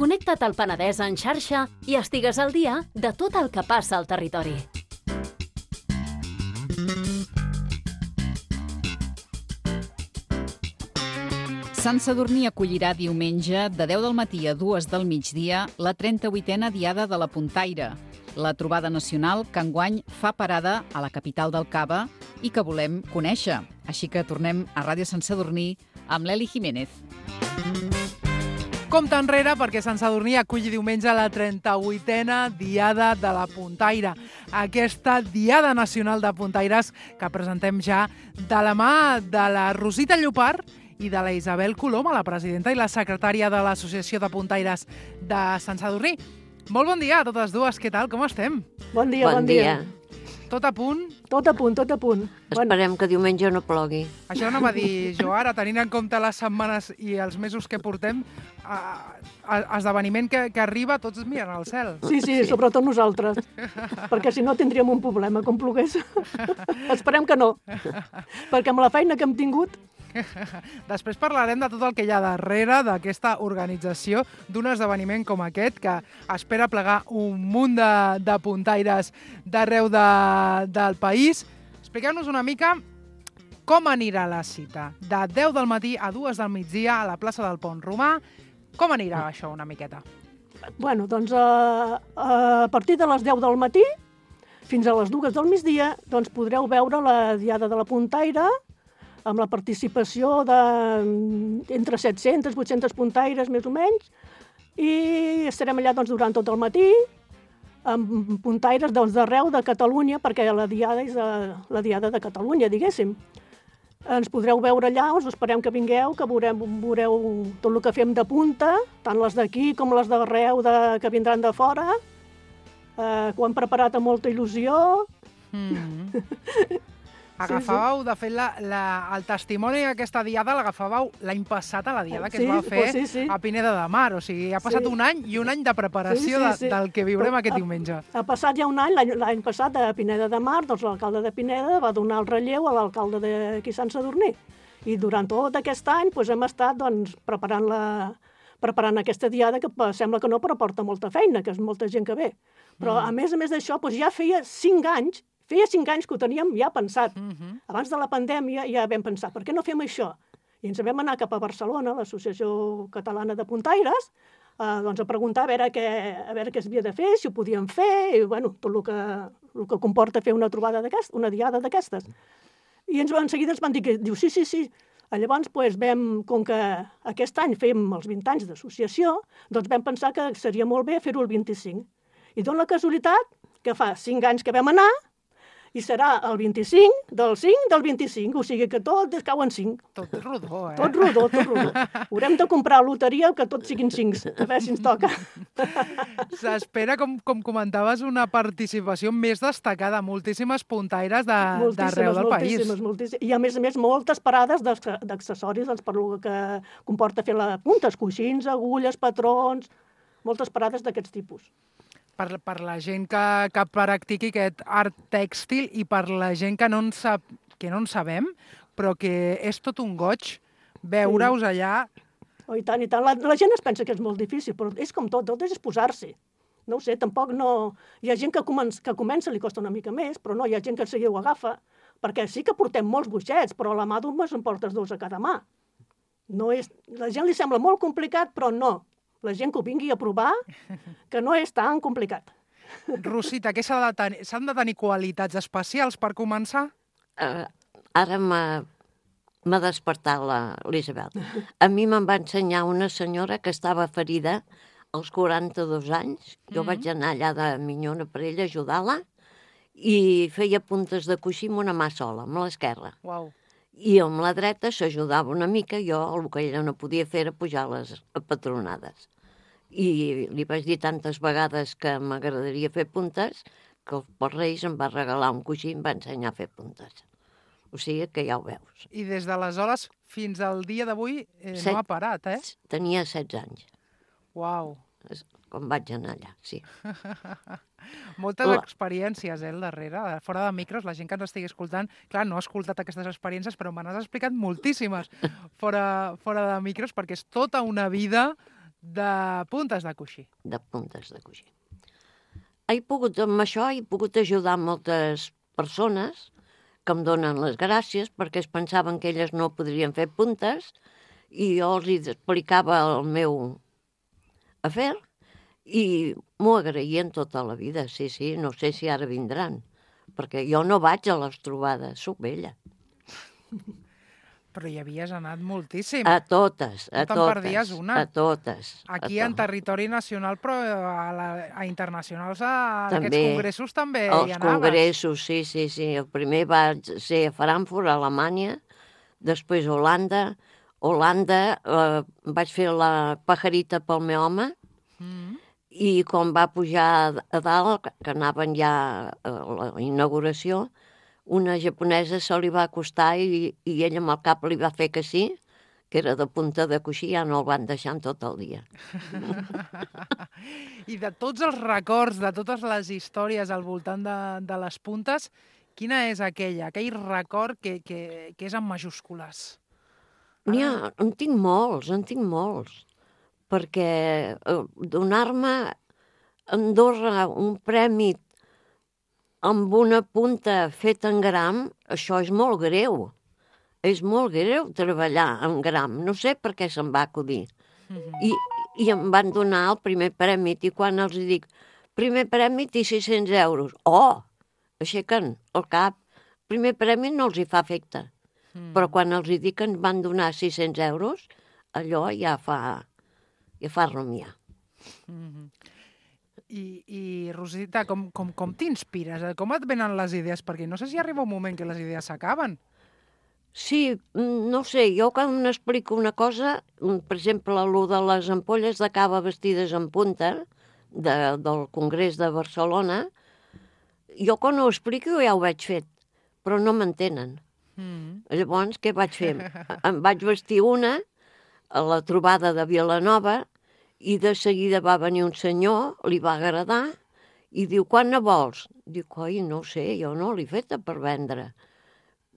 Connecta't al Penedès en xarxa i estigues al dia de tot el que passa al territori. Sant Sadurní acollirà diumenge de 10 del matí a 2 del migdia la 38a Diada de la Puntaire, la trobada nacional que enguany fa parada a la capital del Cava i que volem conèixer. Així que tornem a Ràdio Sant Sadurní amb l'Eli Jiménez. Compte enrere perquè Sant Sadurní aculli diumenge la 38a Diada de la Puntaire. Aquesta Diada Nacional de Puntaires que presentem ja de la mà de la Rosita Llopart i de la Isabel Coloma, la presidenta i la secretària de l'Associació de Puntaires de Sant Sadurní. Molt bon dia a totes dues, què tal, com estem? Bon dia, bon dia. Tot a punt? Tot a punt, tot a punt. Esperem que diumenge no plogui. Això no va dir jo ara, tenint en compte les setmanes i els mesos que portem, esdeveniment que arriba, tots miren al cel. Sí, sobretot nosaltres, perquè si no tindríem un problema, com plogués. Esperem que no, perquè amb la feina que hem tingut... Després parlarem de tot el que hi ha darrere d'aquesta organització d'un esdeveniment com aquest que espera plegar un munt de puntaires d'arreu del país. Expliqueu-nos una mica com anirà la cita. De 10 del matí a 2 del migdia a la plaça del Pont Romà. Com anirà això una miqueta? Bueno, doncs a partir de les 10 del matí fins a les 2 del migdia doncs podreu veure la Diada de la Puntaire amb la participació d'entre 700 i 800 puntaires, més o menys, i estarem allà doncs, durant tot el matí, amb puntaires d'arreu de Catalunya, perquè la Diada és la Diada de Catalunya, diguéssim. Ens podreu veure allà, us esperem que vingueu, que veureu tot el que fem de punta, tant les d'aquí com les d'arreu que vindran de fora, que ho hem preparat amb molta il·lusió. Agafàveu, de fet, el testimoni d'aquesta diada l'agafàveu l'any passat a la diada que es va fer a Pineda de Mar. O sigui, ha passat un any i un any de preparació del que viurem aquest diumenge. Ha passat ja un any, l'any passat a Pineda de Mar, doncs l'alcalde de Pineda va donar el relleu a l'alcalde d'aquí Sant Sadurní. I durant tot aquest any hem estat preparant aquesta diada que sembla que no, però porta molta feina, que és molta gent que ve. Però a més d'això, ja feia 5 anys que ho teníem ja pensat. Abans de la pandèmia ja vam pensar, per què no fem això? I ens vam anar cap a Barcelona, l'Associació Catalana de Puntaires, doncs a preguntar a veure què es havia de fer, si ho podíem fer, i tot el que comporta fer una trobada d'aquestes, una diada d'aquestes. I en seguida ens van dir que, sí. Llavors, com que aquest any fem els 20 anys d'associació, doncs vam pensar que seria molt bé fer-ho el 25. I dona la casualitat que fa 5 anys que vam anar, i serà el 25 del 5 del 25, o sigui que tot cau en 5. Tot rodó, eh? Tot rodó. Haurem de comprar loteria que tots siguin 5, a veure si ens toca. S'espera, com comentaves, una participació més destacada, moltíssimes puntaires d'arreu del país. Moltíssimes. I a més, moltes parades d'accessoris per el que comporta fer la punta, coixins, agulles, patrons, moltes parades d'aquests tipus. Per la gent que practiqui aquest art tèxtil i per la gent que no en sabem, però que és tot un goig veure-us allà. Oh, i tant. La gent es pensa que és molt difícil, però és com tot és posar-s'hi. No ho sé, tampoc no... Hi ha gent que comença, li costa una mica més, però no, hi ha gent que seguida ho agafa, perquè sí que portem molts boixets, però a la mà d'un en portes 2 a cada mà. La gent li sembla molt complicat, però no. La gent que ho vingui a provar, que no és tan complicat. Rosita, què s'han de tenir qualitats especials per començar? Ara m'ha despertat l'Isabel. A mi me'n va ensenyar una senyora que estava ferida als 42 anys. Jo vaig anar allà de minyona per ella a ajudar-la i feia puntes de coixí amb una mà sola, amb l'esquerra. Uau. I amb la dreta s'ajudava una mica, jo el que ella no podia fer era pujar les patronades. I li vaig dir tantes vegades que m'agradaria fer puntes que els Reis em va regalar un coixí i em va ensenyar a fer puntes. O sigui que ja ho veus. I des d'aleshores fins al dia d'avui no ha parat, eh? Tenia 16 anys. Uau. Com vaig anar allà, sí. Moltes experiències, al darrere. Fora de micros, la gent que ens estigui escoltant, clar, no ha escoltat aquestes experiències, però me n'has explicat moltíssimes fora de micros, perquè és tota una vida de puntes de coixí. De puntes de coixí. Amb això he pogut ajudar moltes persones que em donen les gràcies perquè es pensaven que elles no podrien fer puntes i jo els explicava el meu afer i m'ho agraïen tota la vida. Sí, no sé si ara vindran, perquè jo no vaig a les trobades, soc vella. Però hi havies anat moltíssim. A totes, a No te'n totes. perdies una. A totes. Aquí en territori nacional, però a internacionals, en També. aquests congressos també hi Els anaves. congressos, sí. El primer va ser a Frankfurt, a Alemanya, després a Holanda. Vaig fer la pajarita pel meu home, i quan va pujar a dalt, que anaven ja a la inauguració, una japonesa se li va acostar i ella amb el cap li va fer que sí, que era de punta de coixí, ja no el van deixar en tot el dia. I de tots els records, de totes les històries al voltant de les puntes, quina és aquell record que és en majúscules? En tinc molts, perquè donar-me a Andorra un premi amb una punta feta en gram, això és molt greu. És molt greu treballar en gram. No sé per què se'm va acudir. I em van donar el primer premi, i quan els dic, primer premi i 600 euros. Oh! Aixequen el cap. Primer premi no els hi fa efecte. Però quan els dic que ens van donar 600 euros, allò ja fa rumiar. I Rosita, com t'inspires? Com et venen les idees? Perquè no sé si arriba un moment que les idees s'acaben. Sí, no sé, jo quan m'explico una cosa, per exemple, el de les ampolles de cava vestides en punta del Congrés de Barcelona, jo quan ho explico ja ho veig fet, però no m'entenen. Llavors, què vaig fer? Em vaig vestir una a la trobada de Vilanova i de seguida va venir un senyor, li va agradar, i diu, quan ne vols? Dic, oi, no sé, jo no l'he feta per vendre.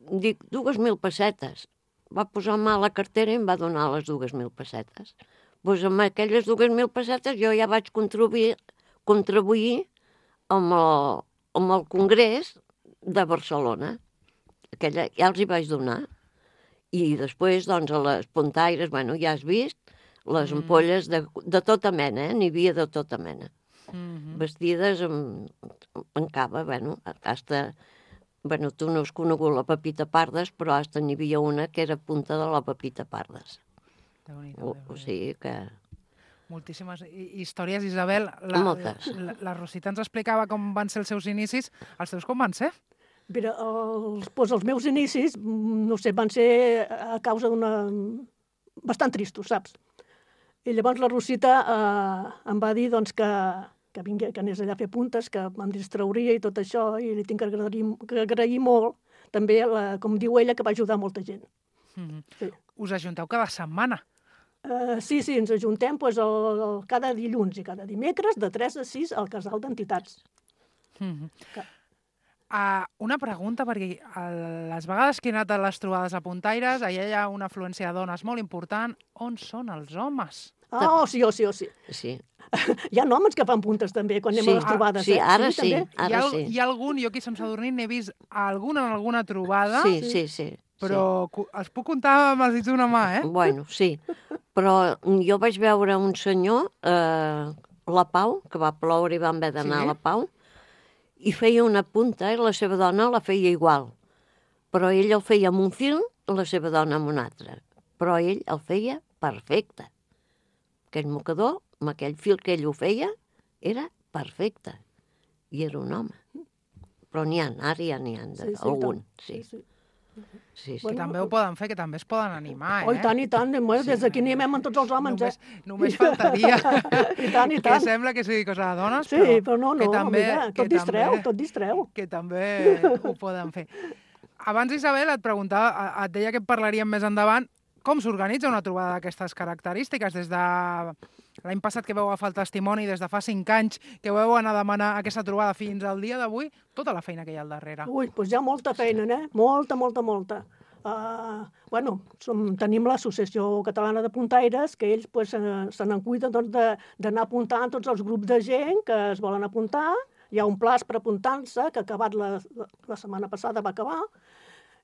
Dic, 2.000 pessetes. Va posar mà a la cartera i em va donar les 2.000 pessetes. Doncs amb aquelles 2.000 pessetes jo ja vaig contribuir amb el Congrés de Barcelona. Aquella ja els hi vaig donar. I després, doncs, a les puntaires, bueno, ja has vist, les ampolles de tota mena, n'hi havia de tota mena. Vestides en cava, bueno, hasta... Bueno, tu no has conegut la Pepita Pardes, però hasta n'hi havia una que era punta de la Pepita Pardes. O sigui que... Moltíssimes històries, Isabel. Moltes. La Rosita ens explicava com van ser els seus inicis. Els teus com van ser? Mira, els meus inicis, no sé, van ser a causa d'una... bastant tristos, saps? I llavors la Rosita em va dir doncs, que anés allà a fer puntes, que em distrauria i tot això, i li tinc que agrair molt, també, com diu ella, que va ajudar molta gent. Sí. Us ajunteu cada setmana? Sí, ens ajuntem doncs, cada dilluns i cada dimecres de 3 a 6 al casal d'entitats. Una pregunta, perquè les vegades que he anat a les trobades a puntaires, allà hi ha una afluència de dones molt important. On són els homes? Sí. Sí. Hi ha homes que fan puntes també quan anem a les trobades. Sí, ara sí. Hi ha algun, jo aquí a Sant Sadurní n'he vist alguna en alguna trobada, Sí. però els puc comptar amb els dits d'una mà, eh? Bueno, sí. Però jo vaig veure un senyor, la Pau, que va ploure i vam haver d'anar a la Pau, i feia una punta i la seva dona la feia igual. Però ell el feia amb un fil, la seva dona amb un altre. Però ell el feia perfecte. Aquell mocador, amb aquell fil que ell ho feia, era perfecte. I era un home. Però n'hi ha, ara ja n'hi ha algun. Sí. Que també ho poden fer, que també es poden animar, Oh, i tant, des d'aquí animem amb tots els homes, Només faltaria. I tant. Que sembla que sigui cosa de dones, Sí, però no, mira, tot distreu. Que també ho poden fer. Abans, Isabel, et preguntava, et deia que parlaríem més endavant, com s'organitza una trobada d'aquestes característiques? Des de l'any passat que vau agafar el testimoni, des de fa 5 anys que vau anar a demanar aquesta trobada fins al dia d'avui, tota la feina que hi ha al darrere. Ui, doncs hi ha molta feina, Molta. Tenim l'Associació Catalana de Puntaires, que ells se n'en cuiden d'anar apuntant tots els grups de gent que es volen apuntar. Hi ha un plaç per apuntar-se, que ha acabat la setmana passada, va acabar,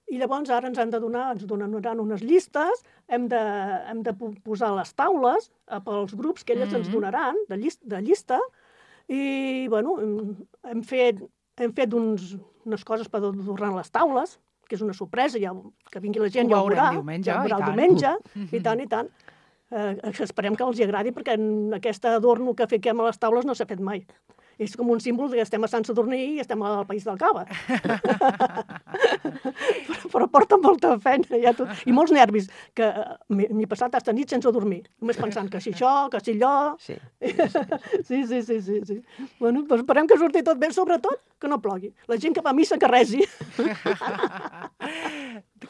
i llavors ara ens donaran unes llistes, hem de posar les taules pels grups que elles ens donaran, de llista, i, hem fet unes coses per adornar les taules, que és una sorpresa, que vingui la gent, ja ho veurà. Ja el diumenge, i tant. Esperem que els agradi, perquè aquest adorno que fiquem a les taules no s'ha fet mai. És com un símbol que estem a Sant Sadurní i estem al País del Cava. Però porta molta feina i molts nervis, que m'he passat aquesta nit sense dormir, només pensant que si això, que si allò... Sí. Bueno, doncs esperem que surti tot bé, sobretot que no plogui. La gent que va a missa que resi.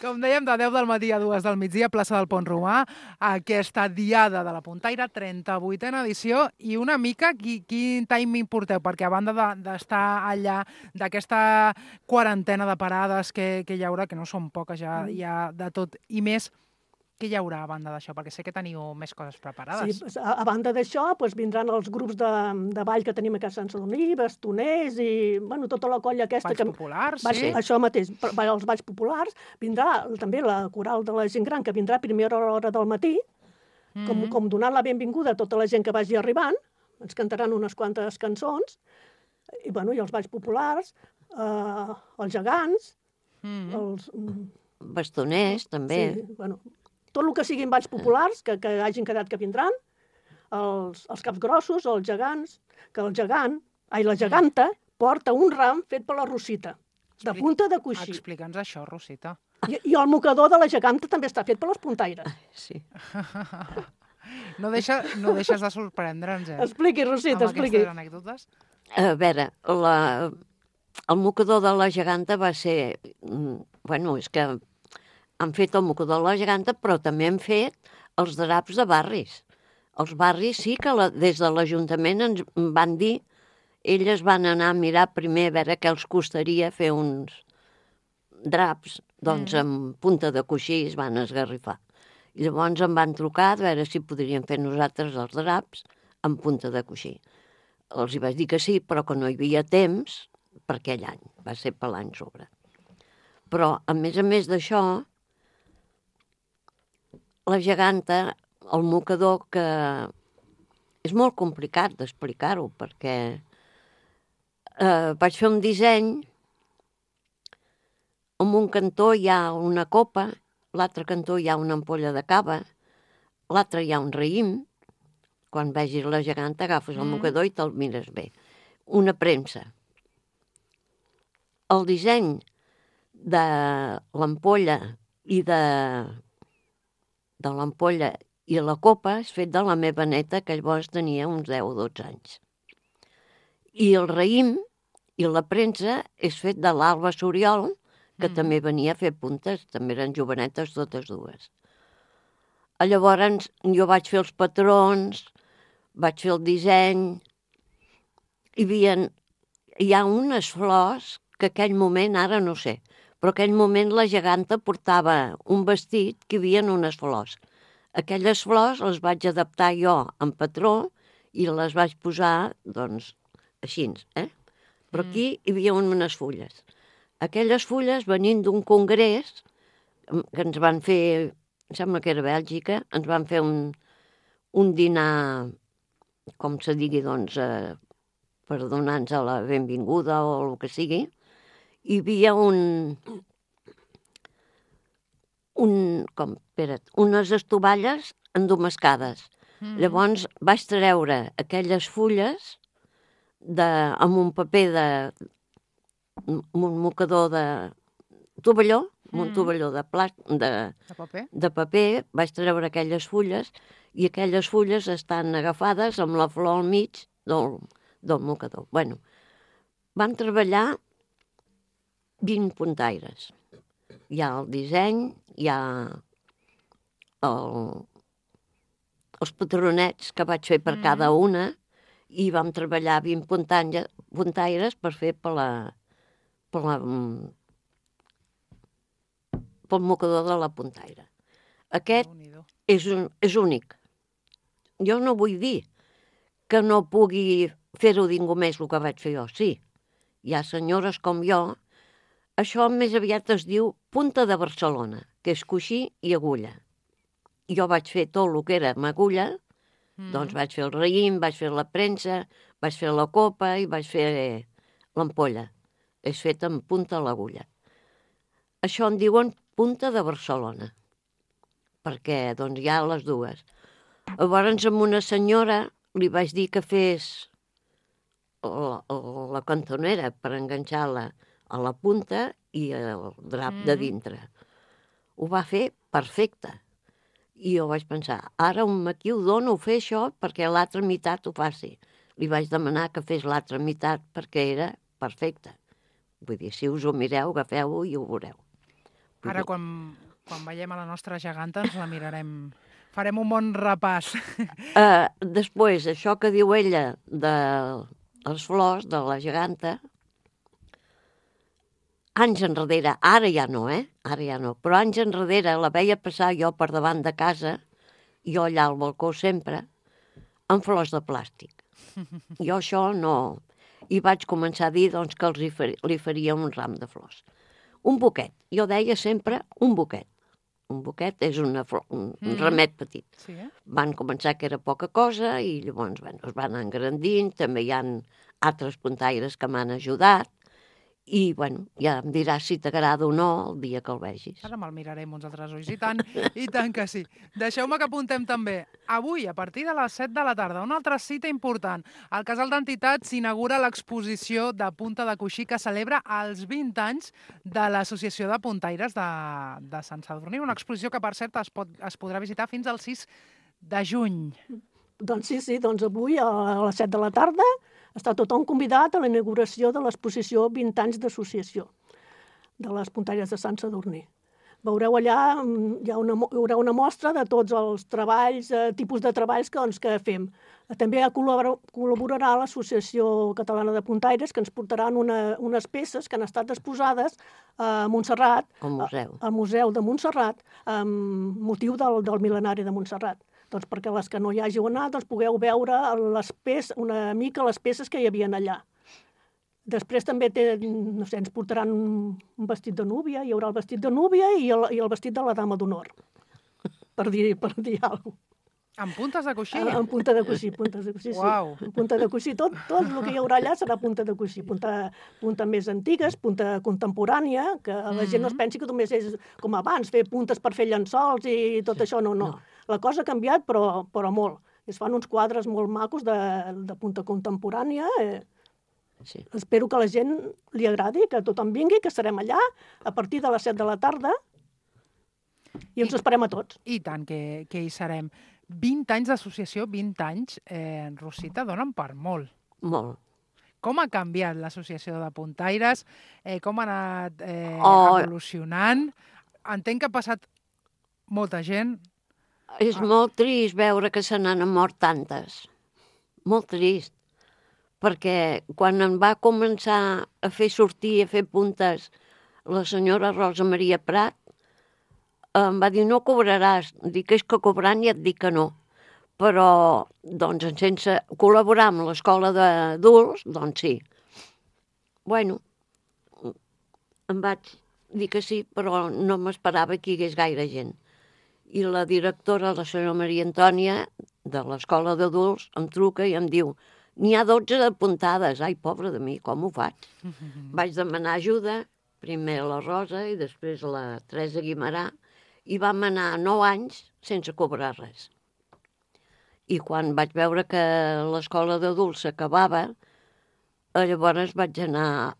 Com dèiem, de 10 del matí a 2 del migdia, plaça del Pont Romà, aquesta Diada de la Puntaire, 38a edició, i una mica quin timing porteu? Perquè a banda d'estar allà, d'aquesta quarantena de parades que hi haurà, que no són poques, ja hi ha de tot i més, què hi haurà a banda d'això? Perquè sé que teniu més coses preparades. Sí, a banda d'això vindran els grups de ball que tenim a Sant Sadurní, bastoners i tota la colla aquesta. Balls populars, sí. Això mateix, els balls populars. Vindrà també la coral de la gent gran, que vindrà a primera hora del matí, com donant la benvinguda a tota la gent que vagi arribant. Ens cantaran unes quantes cançons, i els balls populars, els gegants, els... Bastoners, també. Sí, tot el que siguin balls populars, que hagin quedat que vindran, els caps grossos, els gegants, que la geganta porta un ram fet per la Rosita, de punta de coixí. Explica'ns això, Rosita. I el mocador de la geganta també està fet per les puntaires. Sí. No deixes de sorprendre'ns, Expliqui, Rosita, expliqui. Amb aquestes anècdotes. A veure, el mocador de la geganta va ser... és que han fet el mocador de la geganta, però també han fet els draps de barris. Els barris sí que des de l'Ajuntament ens van dir, elles van anar a mirar primer a veure què els costaria fer uns draps, doncs amb punta de coixí es van esgarrifar. I llavors em van trucar a veure si podríem fer nosaltres els draps amb punta de coixí. Els hi vaig dir que sí, però que no hi havia temps per aquell any, va ser per l'any sobre. Però, a més d'això, la geganta, el mocador, que és molt complicat d'explicar-ho, perquè vaig fer un disseny, en un cantó hi ha una copa, l'altre cantó hi ha una ampolla de cava, l'altre hi ha un raïm. Quan vegis la geganta agafes el mocador i te'l mires bé. Una premsa. El disseny de l'ampolla i de l'ampolla i la copa és fet de la meva neta, que llavors tenia uns 10 o 12 anys. I el raïm i la premsa és fet de l'Alba Soriol, que també venia a fer puntes, també eren jovenetes totes dues. Llavors jo vaig fer els patrons, vaig fer el disseny, hi ha unes flors que aquell moment, ara no sé, però aquell moment la geganta portava un vestit que hi havia unes flors. Aquelles flors les vaig adaptar jo en patró i les vaig posar, doncs, així, Però aquí hi havia unes fulles. Aquelles fulles, venint d'un congrés que ens van fer, em sembla que era Bèlgica, ens van fer un dinar, com se digui, doncs, per donar-nos la benvinguda o el que sigui. Hi havia unes estovalles endomascades. Llavors vaig treure aquelles fulles amb un paper un mocador de tovalló, un tovalló de paper, vaig treure aquelles fulles i aquelles fulles estan agafades amb la flor al mig del mocador. Bueno, van treballar 20 puntaires. Hi ha el disseny, hi ha els patronets que vaig fer per cada una i vam treballar 20 puntaires per fer per pel mocador de la puntaire. Aquest Déu-n'hi-do. és únic. Jo no vull dir que no pugui fer-ho ningú més el que vaig fer jo. Sí, hi ha senyores com jo. Això més aviat es diu punta de Barcelona, que és coixí i agulla. Jo vaig fer tot el que era amb agulla, doncs vaig fer el raïm, vaig fer la premsa, vaig fer la copa i vaig fer l'ampolla. És fet amb punta a l'agulla. Això en diuen punta de Barcelona, perquè doncs, hi ha les dues. Llavors, amb una senyora li vaig dir que fes la cantonera per enganxar-la a la punta i el drap de dintre. Ho va fer perfecte. I jo vaig pensar, ara aquí ho dono a fer això perquè l'altra meitat ho faci. Li vaig demanar que fes l'altra meitat perquè era perfecte. Vull dir, si us ho mireu, agafeu-ho i ho veureu. Ara, quan veiem a la nostra geganta, ens la mirarem. Farem un bon repàs. Després, això que diu ella de les flors, de la geganta, anys enrere, ara ja no, ara ja no, però anys enrere la veia passar jo per davant de casa, jo allà al balcó sempre, amb flors de plàstic. Jo això no... I vaig començar a dir doncs, que li faria un ram de flors. Un buquet. Jo deia sempre un buquet. Un buquet és un ramet petit. Sí, Van començar que era poca cosa i llavors es van engrandint. També hi ha altres puntaires que m'han ajudat. I, ja em diràs si t'agrada o no el dia que el vegis. Ara me'l mirarem uns altres ulls, i tant que sí. Deixeu-me que apuntem també. Avui, a partir de les 7 de la tarda, una altra cita important. Al Casal d'Entitats s'inaugura l'exposició de Punta de Coixí que celebra els 20 anys de l'Associació de Puntaires de Sant Sadurní. Una exposició que, per cert, es podrà visitar fins al 6 de juny. Doncs sí, doncs avui a les 7 de la tarda està tothom convidat a la inauguració de l'exposició 20 anys d'associació de les puntaires de Sant Sadurní. Veureu allà, hi haurà una mostra de tots els treballs, tipus de treballs que fem. També col·laborarà l'Associació Catalana de Puntaires, que ens portaran unes peces que han estat exposades a Montserrat, al Museu de Montserrat, amb motiu del mil·lenari de Montserrat. Doncs perquè les que no hi hàgiu anat pugueu veure una mica les peces que hi havia allà. Després també ens portaran un vestit de núvia, hi haurà el vestit de núvia i el vestit de la dama d'honor, per dir alguna cosa. Amb puntes de coixí? Amb punta de coixí, sí. Uau. Punta de coixí, tot el que hi haurà allà serà punta de coixí. Punta més antigues, punta contemporània, que la gent no es pensi que només és com abans, fer puntes per fer llençols i tot això, no. La cosa ha canviat, però molt. Es fan uns quadres molt macos de punta contemporània. Sí. Espero que a la gent li agradi, que tothom vingui, que estarem allà a partir de les 7 de la tarda i ens esperem a tots. I tant que hi serem. 20 anys d'associació, 20 anys, Rosita, donen per molt. Molt. Com ha canviat l'associació de puntaires? Com ha anat evolucionant? Entenc que ha passat molta gent. És molt trist veure que se n'han mort tantes. Molt trist. Perquè quan em va començar a fer sortir, a fer puntes, la senyora Rosa Maria Prat, em va dir, no cobraràs. Dic, és que cobrant ja et dic que no. Però, doncs, sense col·laborar amb l'escola d'adults, doncs sí. Bueno, em vaig dir que sí, però no m'esperava que hi hagués gaire gent. I la directora, la senyora Maria Antònia, de l'escola d'adults, em truca i em diu, n'hi ha 12 apuntades. Ai, pobra de mi, com ho faig? Vaig demanar ajuda, primer la Rosa i després la Teresa Guimarà, i vam anar 9 anys sense cobrar res. I quan vaig veure que l'escola d'adults s'acabava, llavors vaig anar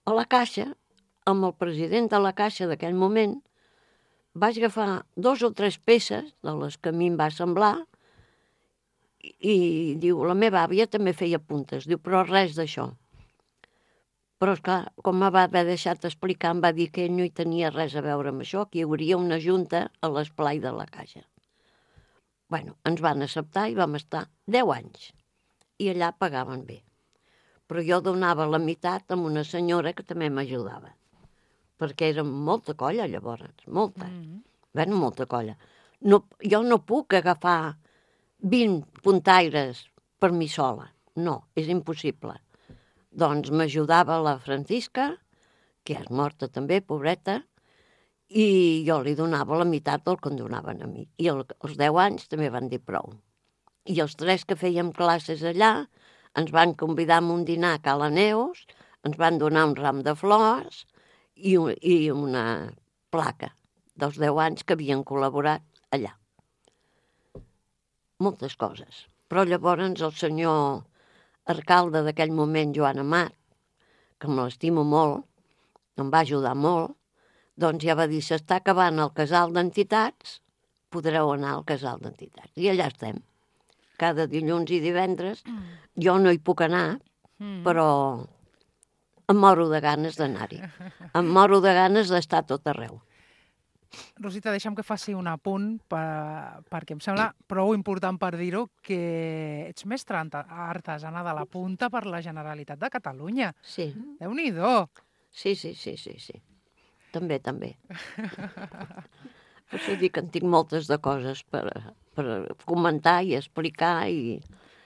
a la Caixa, amb el president de la Caixa d'aquell moment, vaig agafar 2 o 3 peces de les que a mi em va semblar i diu, la meva àvia també feia puntes, diu, però res d'això. Però, esclar, com m'ha deixat explicar, em va dir que ell no hi tenia res a veure amb això, que hi hauria una junta a l'esplai de la Caixa. Bueno, ens van acceptar i vam estar 10 anys. I allà pagaven bé. Però jo donava la meitat amb una senyora que també m'ajudava. perquè era molta colla llavors, molta. Bueno, molta colla. No, jo no puc agafar 20 puntaires per mi sola. No, és impossible. Doncs m'ajudava la Francisca, que és morta també, pobreta, i jo li donava la meitat del que em donaven a mi. I als 10 anys també van dir prou. I els 3 que fèiem classes allà ens van convidar a un dinar a Cala Neus, ens van donar un ram de flors i una placa dels 10 anys que havien col·laborat allà. Moltes coses. Però llavors el senyor alcalde d'aquell moment, Joan Amat, que me l'estimo molt, em va ajudar molt, doncs ja va dir, s'està acabant el casal d'entitats, podreu anar al casal d'entitats. I allà estem. Cada dilluns i divendres. Jo no hi puc anar, però em moro de ganes d'anar-hi. Em moro de ganes d'estar tot arreu. Rosita, deixa'm que faci un apunt perquè em sembla prou important per dir-ho que ets mestra artesana de la punta per la Generalitat de Catalunya. Sí. Déu-n'hi-do! Sí. També. Per això dic que en tinc moltes de coses per comentar i explicar i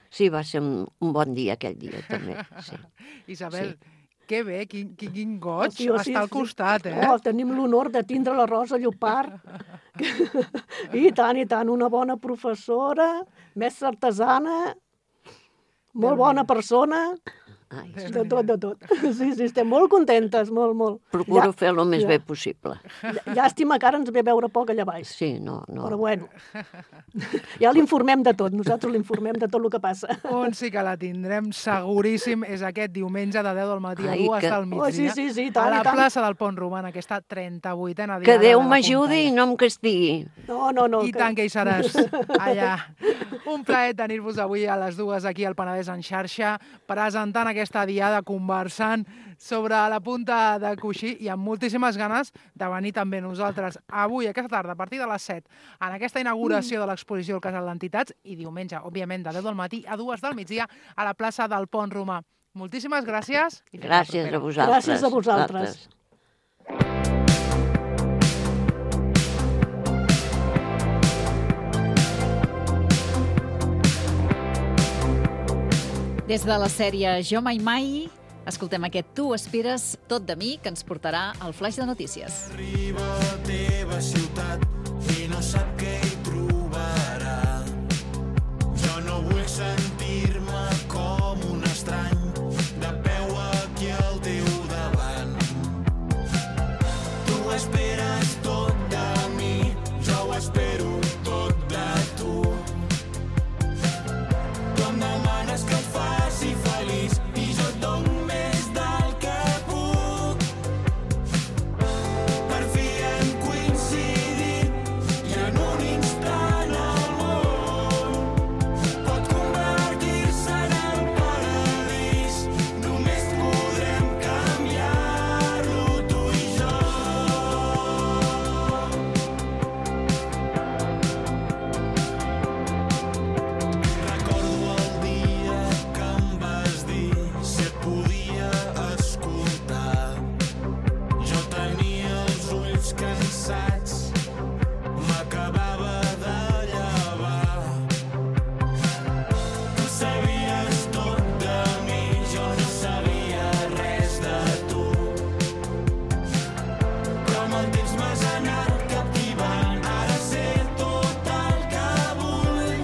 sí, va ser un bon dia aquell dia també. Sí. Isabel, que bé, quin goig Sí, estar al costat, eh? Oh, tenim l'honor de tindre la Rosa Llopart. I tant, una bona professora, mestra artesana, molt bona persona, Ai, de tot. Sí, estem molt contentes, molt. procuro fer el més bé possible. Llàstima que ara ens ve veure poc allà baix. Sí, no. Però bueno, ja l'informem de tot, nosaltres l'informem de tot el que passa. On sí que la tindrem seguríssim és aquest diumenge de 10 del matí a 2 del migdia. Oh, sí, a la plaça del Pont Romà, en aquesta 38a diada. Que Déu de la m'ajudi i Puntaire. no em castigui. No. I tant que hi seràs, allà. Un plaer tenir-vos avui a les 2 aquí al Penedès en xarxa, presentant aquesta diada, conversant sobre la punta de coixí i amb moltíssimes ganes de venir també nosaltres avui, aquesta tarda, a partir de les 7, en aquesta inauguració de l'exposició al Casal d'Entitats i diumenge, òbviament, de 10 del matí a 2 del migdia a la plaça del Pont Romà. Moltíssimes gràcies. I fins la Gràcies propera. a vosaltres. Gràcies a vosaltres. Des de la sèrie Jo mai mai, escoltem aquest Tu esperes tot de mi, que ens portarà al flaix de notícies. Arriba a la teva ciutat i no sap què hi trobarà. Jo no vull sentir-me com un estrany de peu aquí al teu davant. Tu esperes tot de mi, jo ho espero tot de tu. Tu em demanes que et faci feliç i jo et dono més del que puc. Per fi hem coincidit i en un instant el món pot convertir-se en el paradís. Només podrem canviar-lo tu i jo. Recordo el dia que em vas dir si et podia escoltar. Jo tenia els ulls cansats, m'acabava de llevar. Tu sabies tot de mi, jo no sabia res de tu. Però amb el temps m'has anat captivant, ara sé tot el que vull.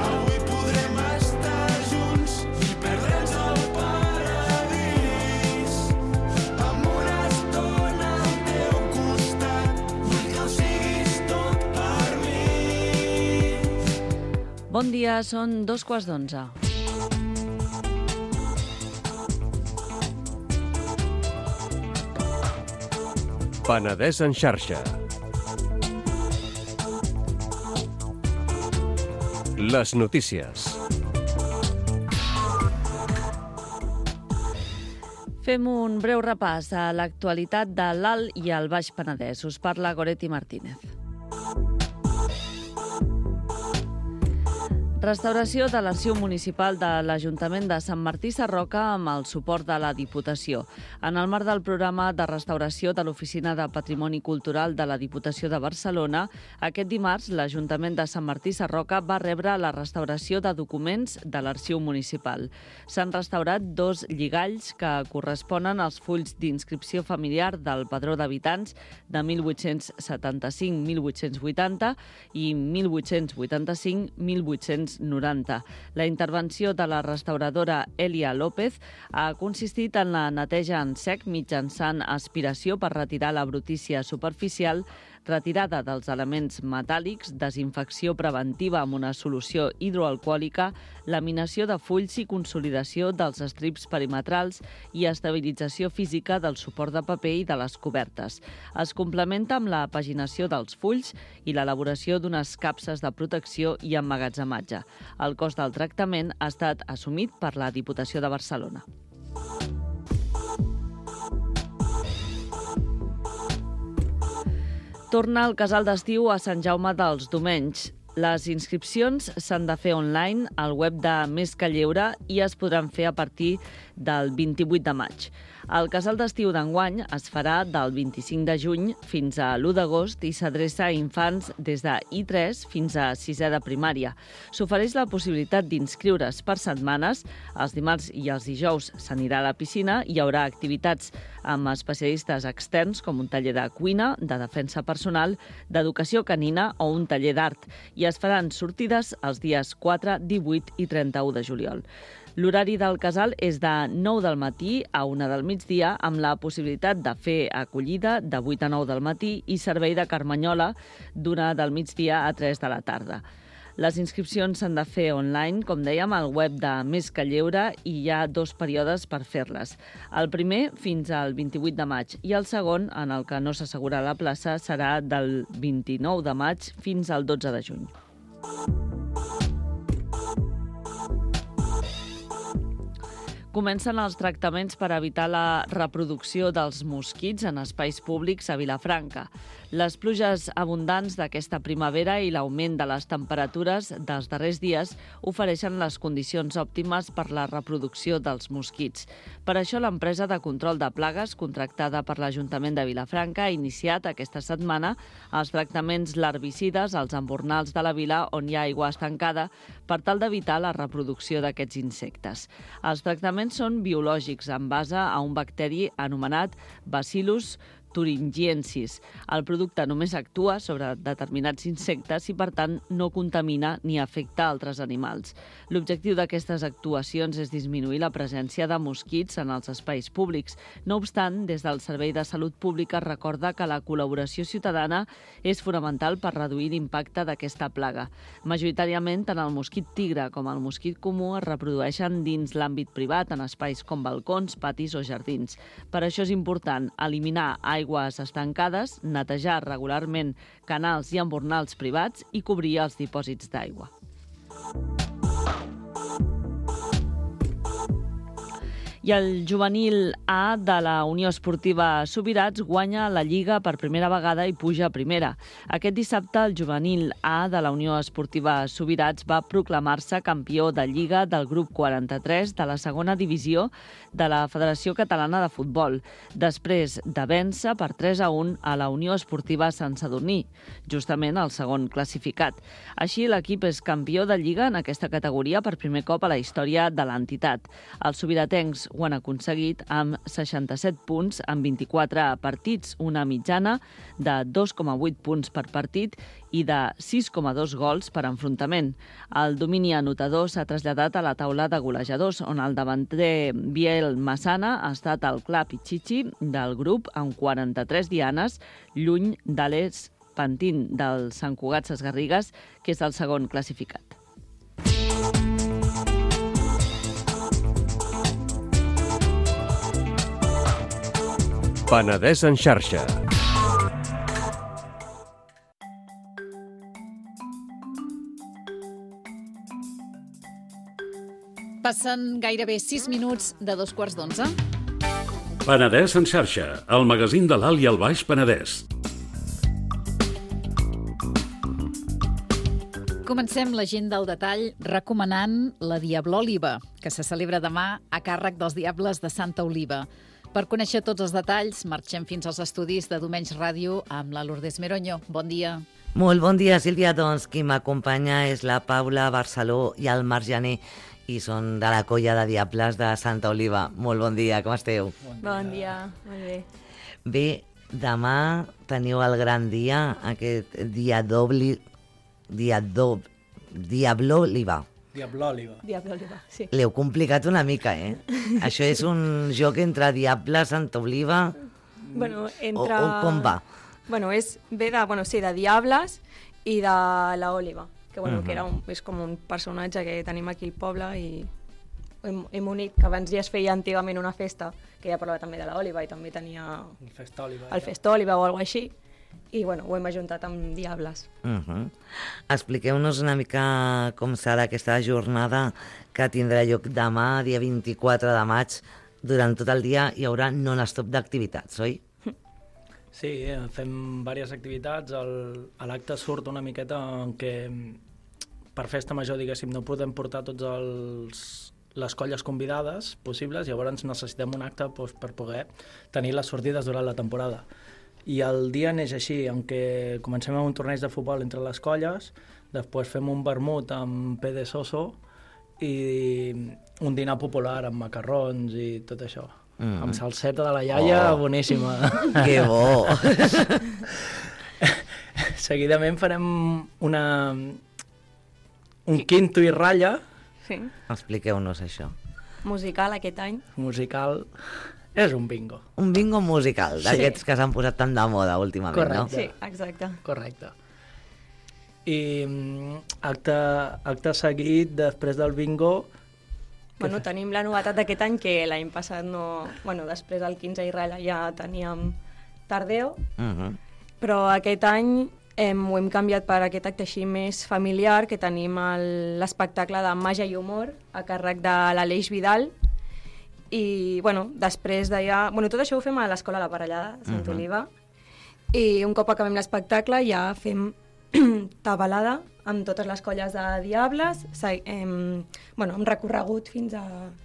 Avui podrem estar junts i perdre'ns al paradís. Amb una estona al teu costat, vull que ho siguis tot per mi. Bon dia, són 2:15. Penedès en xarxa. Les notícies. Fem un breu repàs a l'actualitat de l'Alt i el Baix Penedès. Us parla Goretti Martínez. Restauració de l'Arxiu Municipal de l'Ajuntament de Sant Martí Sarroca amb el suport de la Diputació. En el marc del programa de restauració de l'Oficina de Patrimoni Cultural de la Diputació de Barcelona, aquest dimarts l'Ajuntament de Sant Martí Sarroca va rebre la restauració de documents de l'Arxiu Municipal. S'han restaurat 2 lligalls que corresponen als fulls d'inscripció familiar del Padró d'Habitants de 1875-1880 i 1885-1890. La intervenció de la restauradora Elia López ha consistit en la neteja en sec mitjançant aspiració per retirar la brutícia superficial, retirada dels elements metàl·lics, desinfecció preventiva amb una solució hidroalcohòlica, laminació de fulls i consolidació dels estrips perimetrals i estabilització física del suport de paper i de les cobertes. Es complementa amb la paginació dels fulls i l'elaboració d'unes capses de protecció i emmagatzematge. El cost del tractament ha estat assumit per la Diputació de Barcelona. Torna el casal d'estiu a Sant Jaume dels Domenys. Les inscripcions s'han de fer online al web de Més que Lleure i es podran fer a partir del 28 de maig. El casal d'estiu d'enguany es farà del 25 de juny fins a l'1 d'agost i s'adreça a infants des de I3 fins a 6è de primària. S'ofereix la possibilitat d'inscriure's per setmanes. Els dimarts i els dijous s'anirà a la piscina, hi haurà activitats amb especialistes externs com un taller de cuina, de defensa personal, d'educació canina o un taller d'art. I es faran sortides els dies 4, 18 i 31 de juliol. L'horari del casal és de 9 del matí a 1 del migdia, amb la possibilitat de fer acollida de 8 a 9 del matí i servei de carmanyola d'1 del migdia a 3 de la tarda. Les inscripcions s'han de fer online, com dèiem, al web de Més que Lleure i hi ha 2 períodes per fer-les. El primer fins al 28 de maig i el segon, en el que no s'assegura la plaça, serà del 29 de maig fins al 12 de juny. Comencen els tractaments per evitar la reproducció dels mosquits en espais públics a Vilafranca. Les pluges abundants d'aquesta primavera i l'augment de les temperatures dels darrers dies ofereixen les condicions òptimes per la reproducció dels mosquits. Per això, l'empresa de control de plagues, contractada per l'Ajuntament de Vilafranca, ha iniciat aquesta setmana els tractaments larvicides als embornals de la vila on hi ha aigua estancada per tal d'evitar la reproducció d'aquests insectes. Els tractaments són biològics en base a un bacteri anomenat Bacillus thuringiensis. El producte només actua sobre determinats insectes i, per tant, no contamina ni afecta altres animals. L'objectiu d'aquestes actuacions és disminuir la presència de mosquits en els espais públics. No obstant, des del Servei de Salut Pública recorda que la col·laboració ciutadana és fonamental per reduir l'impacte d'aquesta plaga. Majoritàriament, tant el mosquit tigre com el mosquit comú es reprodueixen dins l'àmbit privat, en espais com balcons, patis o jardins. Per això és important eliminar aigües estancades, netejar regularment canals i embornals privats i cobrir els dipòsits d'aigua. I el juvenil A de la Unió Esportiva Subirats guanya la Lliga per primera vegada i puja a primera. Aquest dissabte, el juvenil A de la Unió Esportiva Subirats va proclamar-se campió de Lliga del grup 43 de la segona divisió de la Federació Catalana de Futbol, després de vèncer per 3-1 a la Unió Esportiva Sant Sadurní, justament el segon classificat. Així, l'equip és campió de Lliga en aquesta categoria per primer cop a la història de l'entitat. Els subiratencs ho han aconseguit amb 67 punts en 24 partits, una mitjana de 2,8 punts per partit i de 6,2 gols per enfrontament. El domini anotador s'ha traslladat a la taula de golejadors, on el davanter Biel Massana ha estat el clar pitxitxi del grup amb 43 dianes, lluny d'Àlex Pantin del Sant Cugat Sesgarrigues, que és el segon classificat. Penedès en xarxa. Passen gairebé 6 minuts de 11:15. Penedès en xarxa, el magazín de l'Alt i el Baix Penedès. Comencem la gent del detall recomanant la Diablòliba, que se celebra demà a càrrec dels Diables de Santa Oliva. Per conèixer tots els detalls, marxem fins als estudis de Domenys Ràdio amb la Lourdes Meroño. Bon dia. Molt bon dia, Sílvia. Doncs qui m'acompanya és la Paula Barceló i el Marc Jané, i són de la colla de Diables de Santa Oliva. Molt bon dia, com esteu? Bon dia, molt bé. Bé, demà teniu el gran dia, aquest Diablòliba. Diablòliba, sí. L'heu complicat una mica, eh? Això és un joc entre Diables, Santa Oliva... Bueno, o com va? Bueno, ve de Diables i de l'Òliva, que, que és com un personatge que tenim aquí al poble i hem unit, que abans ja es feia antigament una festa, que ja parlava també de l'Òliva i també tenia el Festòliva o alguna així, i ho hem ajuntat amb Diables. Expliqueu-nos una mica com serà aquesta jornada que tindrà lloc demà, dia 24 de maig. Durant tot el dia hi haurà non-stop d'activitats, oi? Sí, fem diverses activitats. A l'acte surt una miqueta en què per festa major, diguéssim, no podem portar tots les colles convidades possibles, llavors necessitem un acte per poder tenir les sortides durant la temporada. I el dia neix així, en què comencem amb un torneig de futbol entre les colles, després fem un vermut amb Pede Soso i un dinar popular amb macarrons i tot això. Amb salseta de la iaia, boníssima. Que bo! Seguidament farem un quinto i ratlla. Sí. Expliqueu-nos això. Musical aquest any. Musical és un bingo. Un bingo musical, d'aquests que s'han posat tan de moda últimament, correcte. No? Sí, exacte. Correcte. I acte seguit, després del bingo... Bueno, tenim la novetat d'aquest any, que l'any passat no... Bueno, després del 15 i ratlla ja teníem Tardeo, però aquest any ho hem canviat per aquest acte així més familiar, que tenim l'espectacle de Màgia i Humor a càrrec de l'Aleix Vidal, i després d'allà... Tot això ho fem a l'Escola La Parellada de Sant Oliva, i un cop acabem l'espectacle ja fem tabalada amb totes les colles de Diables, amb recorregut fins al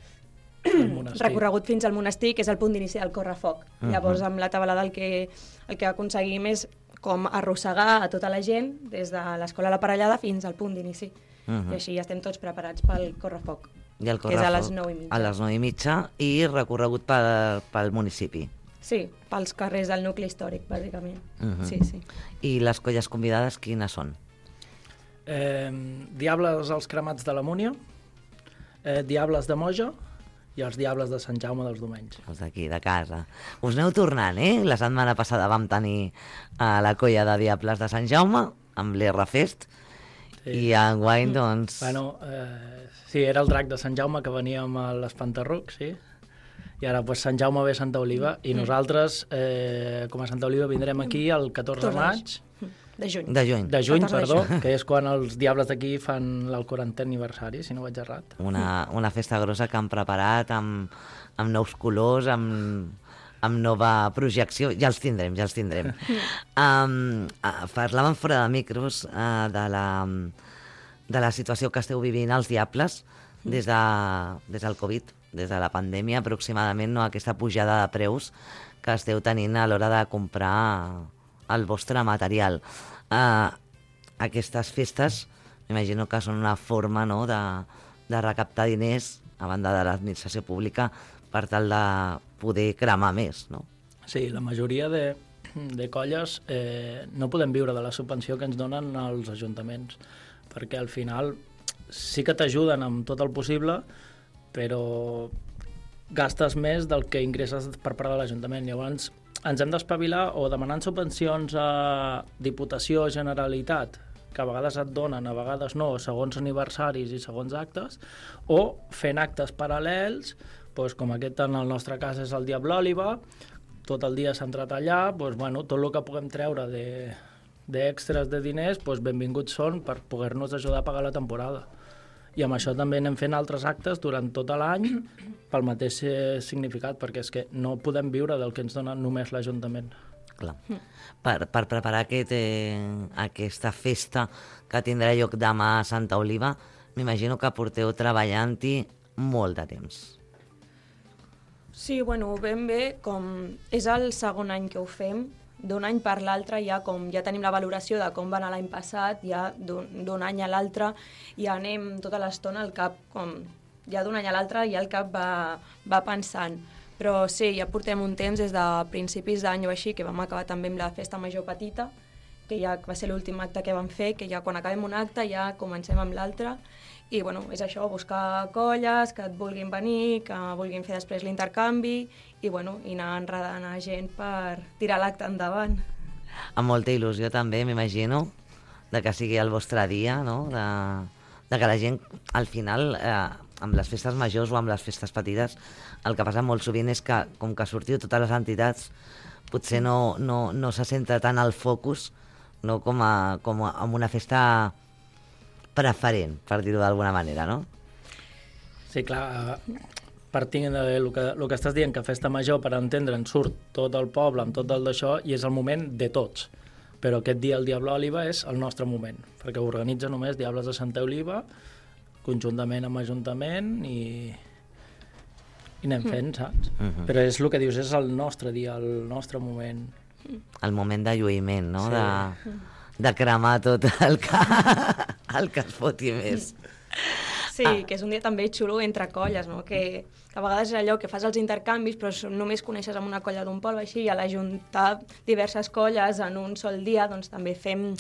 monestir, que és el punt d'inici del correfoc. Llavors, amb la tabalada el que aconseguim és com arrossegar a tota la gent des de l'Escola La Parellada fins al punt d'inici. I així ja estem tots preparats pel correfoc, que és a les 9:30. A les 9:30 i recorregut pel municipi. Sí, pels carrers del nucli històric, bàsicament. Sí. I les colles convidades, quines són? Diables els cremats de la Múnia, Diables de Moja i els Diables de Sant Jaume dels Domenys. Els d'aquí, de casa. Us aneu tornant, eh? La setmana passada vam tenir la colla de Diables de Sant Jaume amb l'R-Fest i enguany, doncs... Sí, era el drac de Sant Jaume que venia amb l'Espantarruc, sí. I ara Sant Jaume ve a Santa Oliva i nosaltres, com a Santa Oliva, vindrem aquí el 14 de maig. De juny. De juny, perdó, que és quan els Diables d'aquí fan el 40è aniversari, si no vaig errat. Una festa grossa que han preparat amb nous colors, amb nova projecció. Ja els tindrem. Parlàvem fora de micros de la situació que esteu vivint els Diables des del Covid, des de la pandèmia aproximadament, aquesta pujada de preus que esteu tenint a l'hora de comprar el vostre material. Aquestes festes, m'imagino que són una forma de recaptar diners a banda de l'administració pública per tal de poder cremar més, no? Sí, la majoria de colles no podem viure de la subvenció que ens donen els ajuntaments, perquè al final sí que t'ajuden amb tot el possible, però gastes més del que ingresses per part de l'Ajuntament. Llavors ens hem d'espavilar o demanant subvencions a Diputació, Generalitat, que a vegades et donen, a vegades no, segons aniversaris i segons actes, o fent actes paral·lels, com aquest en el nostre cas és el Diablòliba, tot el dia centrat allà, tot el que puguem treure d'extres de diners, benvinguts són per poder-nos ajudar a pagar la temporada. I amb això també anem fent altres actes durant tot l'any pel mateix significat, perquè és que no podem viure del que ens dona només l'Ajuntament. Clar. Per preparar aquesta festa que tindrà lloc demà a Santa Oliva, m'imagino que porteu treballant-hi molt de temps. Sí, bueno, ben bé, com és el segon any que ho fem, d'un any per l'altre ja tenim la valoració de com va anar l'any passat, ja d'un any a l'altre ja anem tota l'estona al cap, ja d'un any a l'altre ja el cap va pensant. Però sí, ja portem un temps des de principis d'any o així, que vam acabar també amb la festa major petita, que ja va ser l'últim acte que vam fer, que ja quan acabem un acte ja comencem amb l'altre. I bueno, és això, buscar colles que et vulguin venir, que vulguin fer després l'intercanvi i anar enredant a gent per tirar l'acte endavant. Amb molta il·lusió també, m'imagino, de que sigui el vostre dia, no? De que la gent, al final, amb les festes majors o amb les festes petites, el que passa molt sovint és que, com que sortiu totes les entitats, potser no se centra tant el focus, no, com en una festa preferent, per dir-ho d'alguna manera, no? Sí, clar, partint del que estàs dient, que festa major, per entendre'n, surt tot el poble amb tot el d'això i és el moment de tots. Però aquest dia el Diable Oliva és el nostre moment, perquè ho organitza només Diables de Santa Oliva, conjuntament amb Ajuntament i anem fent, saps? Però és el que dius, és el nostre dia, el nostre moment. El moment de lluïment, no? Sí. De cremar tot el que es foti més. Sí, que és un dia també xulo entre colles, no? Que a vegades és allò que fas els intercanvis però només coneixes amb una colla d'un poble així i a l'ajuntar diverses colles en un sol dia doncs també fem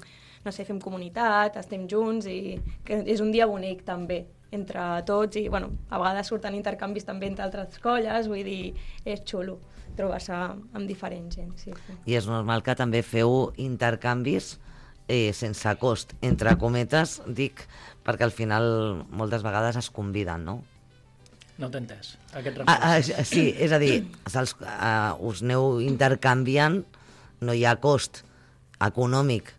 comunitat, estem junts i que és un dia bonic també entre tots i a vegades surten intercanvis també entre altres colles, vull dir, és xulo trobar-se amb diferent gent. Sí. I és normal que també feu intercanvis sense cost, entre cometes, dic, perquè al final moltes vegades es conviden, no? No t'he entès, aquest reflex. Sí, és a dir, us aneu intercanviant, no hi ha cost econòmic,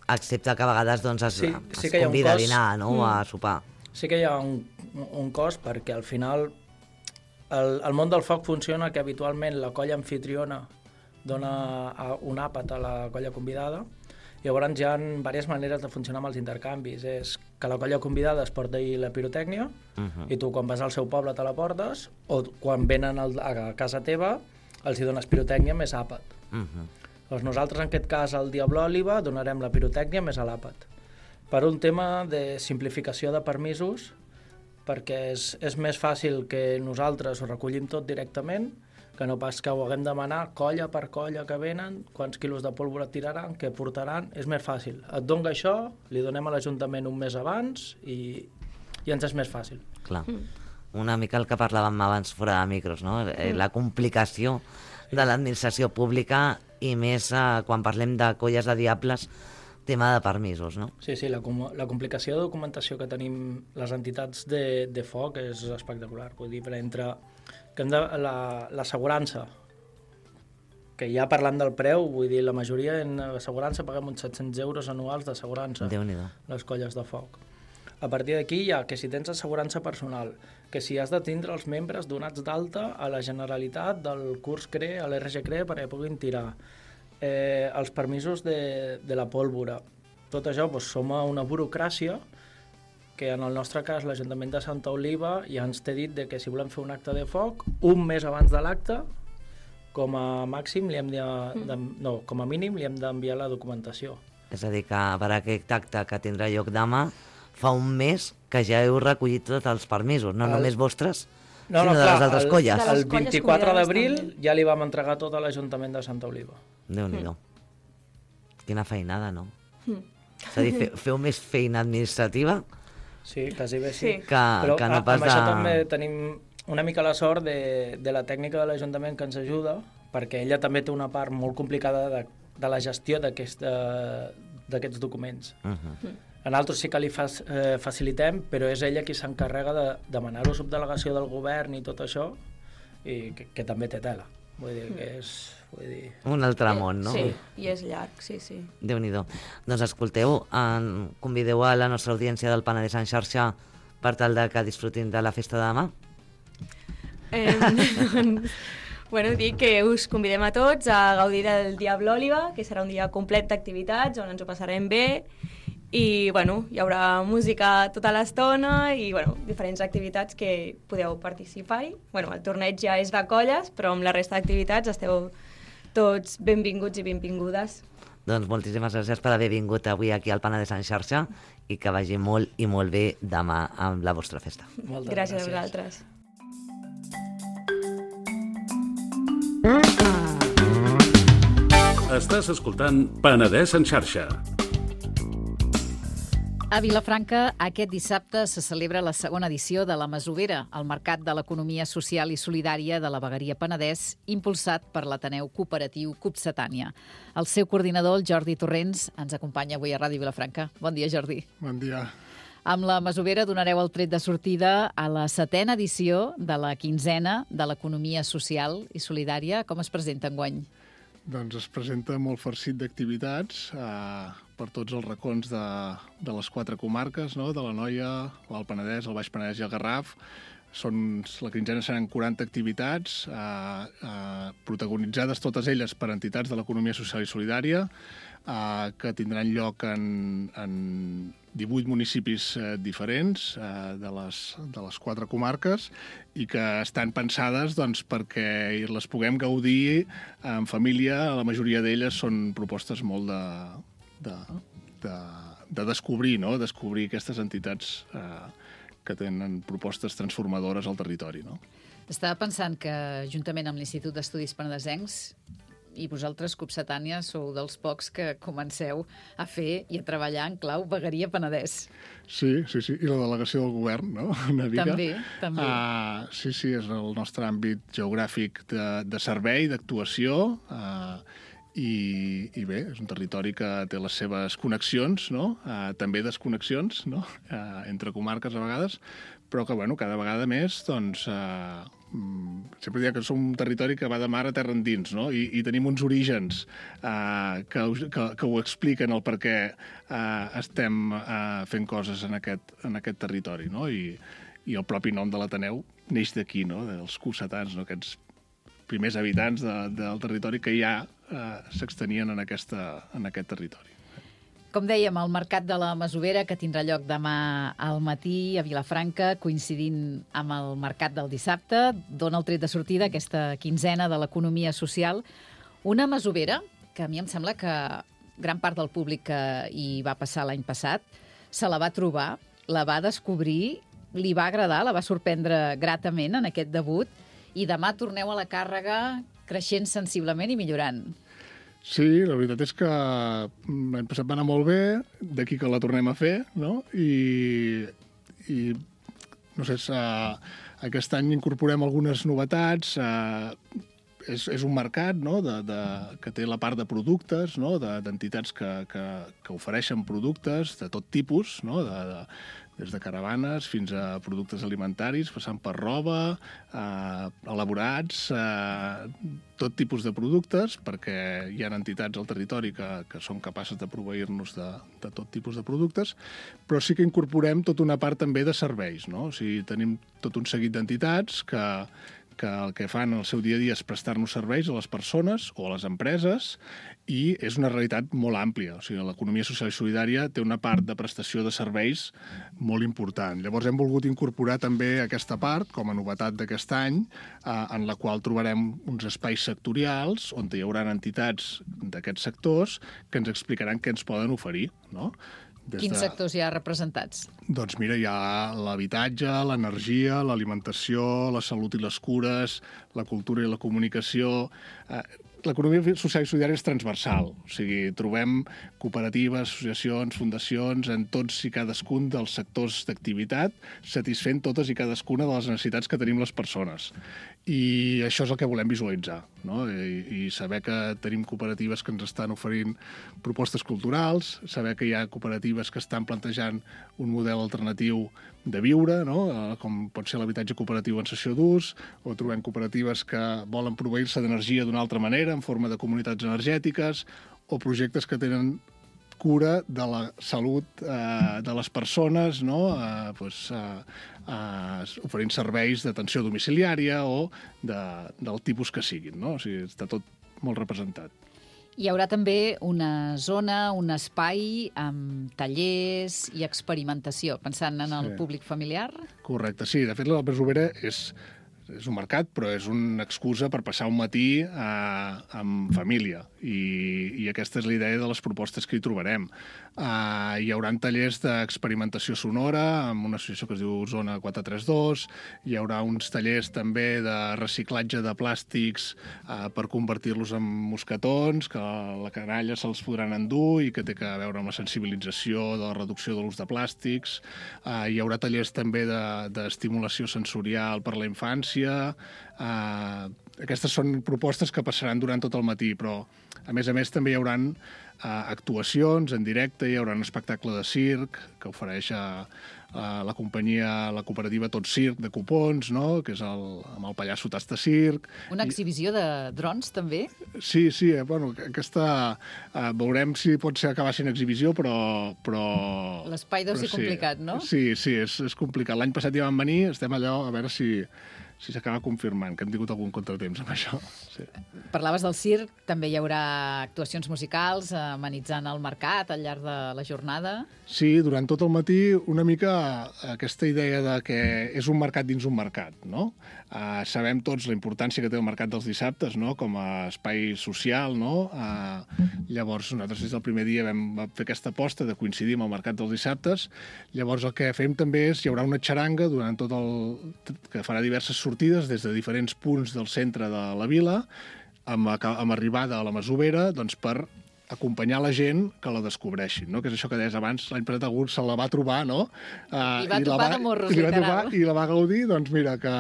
excepte que a vegades es convida a dinar, no? O a sopar. Sí que hi ha un cost perquè al final el món del foc funciona que habitualment la colla anfitriona dona un àpat a la colla convidada. Llavors hi ha diverses maneres de funcionar amb els intercanvis. És que la colla convidada es porta la pirotècnia i tu quan vas al seu poble te la portes o quan venen a casa teva els hi dones pirotècnia més àpat. Doncs nosaltres en aquest cas al Diable Oliva donarem la pirotècnia més l'àpat. Per un tema de simplificació de permisos, perquè és més fàcil que nosaltres ho recollim tot directament que no pas que ho haguem de demanar colla per colla que venen, quants quilos de pólvora tiraran, què portaran, és més fàcil. Et dona això, li donem a l'Ajuntament un mes abans i ens és més fàcil. Clar. Una mica el que parlàvem abans fora de micros, no? La complicació de l'administració pública i més quan parlem de colles de diables, tema de permisos, no? Sí, la complicació de documentació que tenim les entitats de foc és espectacular. Vull dir, entre que hem de l'assegurança, que ja parlant del preu, vull dir, la majoria en assegurança paguem uns 700 euros anuals d'assegurança, les colles de foc. A partir d'aquí hi ha que si tens assegurança personal, que si has de tindre els membres donats d'alta a la Generalitat del curs CRE, a l'RG CRE, perquè puguin tirar, els permisos de la pólvora. Tot això som a una burocràcia que en el nostre cas l'Ajuntament de Santa Oliva ja ens té dit que si volem fer un acte de foc, un mes abans de l'acte, com a mínim li hem d'enviar la documentació. És a dir, que per aquest acte que tindrà lloc demà, fa un mes que ja heu recollit tots els permisos, no només vostres, sinó de les altres colles. El 24 d'abril ja li vam entregar tot a l'Ajuntament de Santa Oliva. Déu-n'hi-do. Quina feinada, no? És a dir, feu més feina administrativa? Sí, quasi bé sí. Però no pas amb això també tenim una mica la sort de la tècnica de l'Ajuntament que ens ajuda, perquè ella també té una part molt complicada de la gestió d'aquests documents. A nosaltres sí que li facilitem, però és ella qui s'encarrega de demanar-ho a subdelegació del govern i tot això, i que també té tela. Vull dir que és... Un altre món, no? Sí, i és llarg, sí. Déu-n'hi-do. Doncs escolteu, convideu a la nostra audiència del Penedès en xarxa per tal que disfrutin de la festa de demà? Bueno, dic que us convidem a tots a gaudir del Dia Blòliba, que serà un dia complet d'activitats on ens ho passarem bé i, bueno, hi haurà música tota l'estona i, bueno, diferents activitats que podeu participar-hi. Bueno, el torneig ja és de colles, però amb la resta d'activitats esteu tots benvinguts i benvingudes. Doncs moltíssimes gràcies per haver vingut avui aquí al Penedès en xarxa i que vagi molt i molt bé demà amb la vostra festa. Moltes gràcies a vosaltres. Estàs escoltant Penedès en xarxa. A Vilafranca, aquest dissabte se celebra la segona edició de la Masovera, el Mercat de l'Economia Social i Solidària de la Vegueria Penedès, impulsat per l'Ateneu Cooperatiu Copsetània. El seu coordinador, el Jordi Torrents, ens acompanya avui a Ràdio Vilafranca. Bon dia, Jordi. Bon dia. Amb la Masovera donareu el tret de sortida a la 7a edició de la 15a de l'Economia Social i Solidària. Com es presenta enguany? Doncs es presenta molt farcit d'activitats per tots els racons de les 4 comarques, no? De l'Anoia, l'Alt Penedès, el Baix Penedès i el Garraf. La 15a seran 40 activitats, protagonitzades totes elles per entitats de l'economia social i solidària, que tindran lloc en 18 municipis diferents de les 4 comarques i que estan pensades doncs, perquè les puguem gaudir en família. La majoria d'elles són propostes molt de descobrir, no? Descobrir aquestes entitats que tenen propostes transformadores al territori. No? Estava pensant que, juntament amb l'Institut d'Estudis Penedesencs, i vosaltres, Copsetània, sou dels pocs que comenceu a fer i a treballar en clau Vegueria Penedès. Sí, i la delegació del govern, no? Una mica. També. Sí, és el nostre àmbit geogràfic de servei, d'actuació, i bé, és un territori que té les seves connexions, no? També desconnexions, no? Entre comarques a vegades, però que, bueno, cada vegada més, doncs, sempre diria que som un territori que va de mar a terra endins, no? I tenim uns orígens que ho expliquen el per què estem fent coses en aquest territori, no? I el propi nom de l'Ateneu neix d'aquí, no? Dels cossetans, no? Aquests primers habitants del territori que ja s'extenien en aquest territori. Com dèiem, el Mercat de la Masovera, que tindrà lloc demà al matí a Vilafranca, coincidint amb el Mercat del dissabte, dona el tret de sortida a aquesta 15a de l'economia social. Una Masovera que a mi em sembla que gran part del públic que hi va passar l'any passat se la va trobar, la va descobrir, li va agradar, la va sorprendre gratament en aquest debut, i demà torneu a la càrrega creixent sensiblement i millorant. Sí, la veritat és que l'any passat va anar molt bé, d'aquí que la tornem a fer, no? I no sé, aquest any incorporem algunes novetats. És un mercat, no? Que té la part de productes, no? D'entitats que ofereixen productes de tot tipus, no? Des de caravanes fins a productes alimentaris, passant per roba, elaborats, tot tipus de productes, perquè hi ha entitats al territori que són capaces de proveir-nos de tot tipus de productes, però sí que incorporem tota una part també de serveis, no? O sigui, tenim tot un seguit d'entitats que el que fan el seu dia a dia és prestar-nos serveis a les persones o a les empreses, i és una realitat molt àmplia. O sigui, l'economia social i solidària té una part de prestació de serveis molt important. Llavors hem volgut incorporar també aquesta part, com a novetat d'aquest any, en la qual trobarem uns espais sectorials on hi haurà entitats d'aquests sectors que ens explicaran què ens poden oferir, no? Quins sectors hi ha representats? Doncs mira, hi ha l'habitatge, l'energia, l'alimentació, la salut i les cures, la cultura i la comunicació. L'economia social i solidària és transversal, o sigui, trobem cooperatives, associacions, fundacions en tots i cadascun dels sectors d'activitat, satisfent totes i cadascuna de les necessitats que tenim les persones. I això és el que volem visualitzar, no? I saber que tenim cooperatives que ens estan oferint propostes culturals, saber que hi ha cooperatives que estan plantejant un model alternatiu de viure, no? Com pot ser l'habitatge cooperatiu en cessió d'ús, o trobem cooperatives que volen proveir-se d'energia d'una altra manera, en forma de comunitats energètiques, o projectes que tenen cura de la salut de les persones, no? Oferint serveis d'atenció domiciliària o del tipus que siguin, no? O sigui, està tot molt representat. Hi haurà també una zona, un espai amb tallers i experimentació, pensant en el públic familiar? Correcte, sí. De fet, la Masovera és un mercat, però és una excusa per passar un matí amb família. I aquesta és la idea de les propostes que hi trobarem. Hi haurà tallers d'experimentació sonora amb una associació que es diu Zona 432, hi haurà uns tallers també de reciclatge de plàstics per convertir-los en mosquetons, que la canalla se'ls podran endur i que té a veure amb la sensibilització de la reducció de l'ús de plàstics. Hi haurà tallers també d'estimulació sensorial per la infància. Aquestes són propostes que passaran durant tot el matí, però a més també hi haurà actuacions en directe, hi haurà un espectacle de circ que ofereix la companyia, la cooperativa Tot Circ de Copons, no? Que és amb el pallasso Tasta Circ. Una exhibició de drons, també? Sí, bueno, aquesta veurem si pot ser acabar sent exhibició, però l'espai deu ser complicat, no? Sí, és complicat. L'any passat hi vam venir, estem allò a veure si s'acaba confirmant, que hem tingut algun contratemps amb això. Sí. Parlaves del circ, també hi haurà actuacions musicals amenitzant el mercat al llarg de la jornada. Sí, durant tot el matí una mica aquesta idea de que és un mercat dins un mercat, no? Sabem tots la importància que té el mercat dels dissabtes, no? Com a espai social, no? Llavors nosaltres des del primer dia vam fer aquesta aposta de coincidir amb el mercat dels dissabtes. Llavors el que fem també és, hi haurà una xaranga durant que farà diverses sortides des de diferents punts del centre de la vila, amb arribada a la Masovera, doncs per acompanyar la gent que la descobreixin, no? Que és això que deies abans, l'any passat algú se la va trobar, no? I va trobar de morros, literal. I la va gaudir, doncs mira, que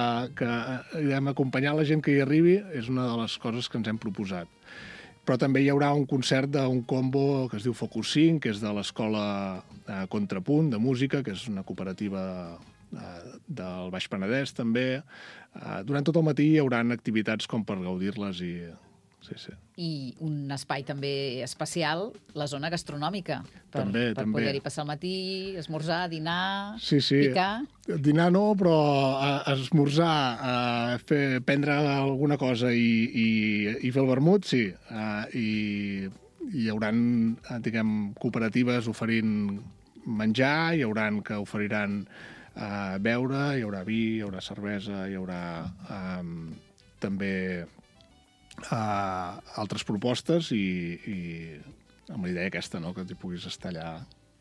acompanyar la gent que hi arribi és una de les coses que ens hem proposat. Però també hi haurà un concert d'un combo que es diu Focus 5, que és de l'escola Contrapunt, de música, que és una cooperativa del Baix Penedès, també. Durant tot el matí hi haurà activitats com per gaudir-les i... Sí. I un espai també especial, la zona gastronòmica, per poder-hi passar el matí, esmorzar, dinar, picar. Dinar no, però esmorzar, prendre alguna cosa i fer el vermut, sí. I hi haurà, diguem, cooperatives oferint menjar, hi haurà que oferiran beure, hi haurà vi, hi haurà cervesa, hi haurà també altres propostes i amb la idea aquesta, no? Que t'hi puguis estar allà